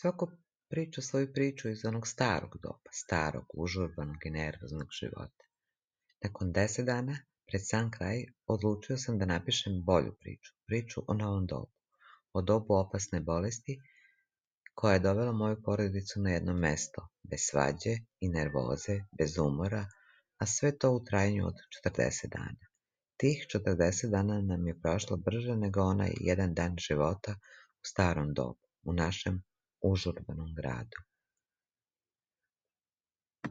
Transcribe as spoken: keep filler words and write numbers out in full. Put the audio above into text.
Svako priča svoju priču iz onog starog doba, starog, užurbanog i nervoznog života. Nakon deset dana, pred sam kraj, odlučio sam da napišem bolju priču, priču o novom dobu, o dobu opasne bolesti koja je dovela moju porodicu na jedno mesto, bez svađe i nervoze, bez umora, a sve to u trajanju od četrdeset dana. Tih četrdeset dana nam je prošlo brže nego onaj jedan dan života u starom dobu, u našem užurbanom gradu.